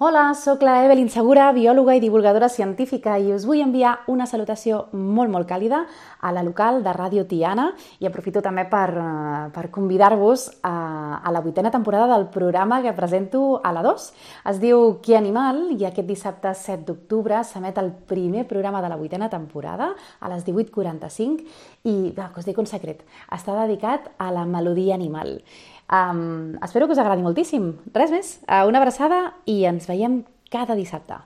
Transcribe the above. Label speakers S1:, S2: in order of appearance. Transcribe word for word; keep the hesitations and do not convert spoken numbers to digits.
S1: Hola, sóc la Evelyn Segura, biòloga i divulgadora científica i us vull enviar una salutació molt, molt càlida a la local de Ràdio Tiana i aprofito també per, eh, per convidar-vos a, a la vuitena temporada del programa que presento a la dos. Es diu Qui Animal i aquest dissabte set d'octubre s'emet el primer programa de la vuitena temporada a les divuit quaranta-cinc i, va, que us dic un secret, està dedicat a la melodia animal. Um, espero que us agradi moltíssim. Res més, una abraçada i ens veiem cada dissabte.